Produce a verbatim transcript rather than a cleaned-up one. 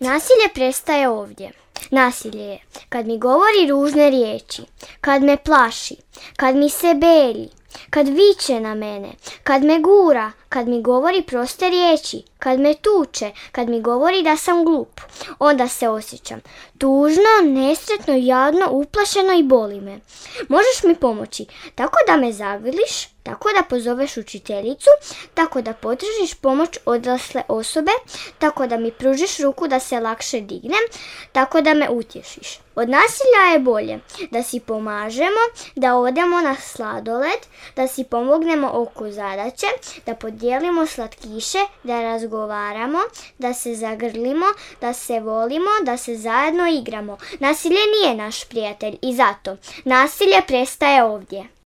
Nasilje prestaje ovdje. Nasilje je kad mi govori ružne riječi, kad me plaši, kad mi se belji, kad viče na mene, kad me gura, kad mi govori proste riječi, kad me tuče, kad mi govori da sam glup. Onda se osjećam tužno, nesretno, jadno, uplašeno i boli me. Možeš mi pomoći tako da me zagrliš, tako da pozoveš učiteljicu, tako da potražiš pomoć odrasle osobe, tako da mi pružiš ruku da se lakše dignem, tako da me utješiš. Od nasilja je bolje da si pomažemo, da odemo na sladoled, da si pomognemo oko zadaće, da podijelimo slatkiše, da razgovaramo, da se zagrlimo, da se volimo, da se zajedno igramo. Nasilje nije naš prijatelj i zato nasilje prestaje ovdje.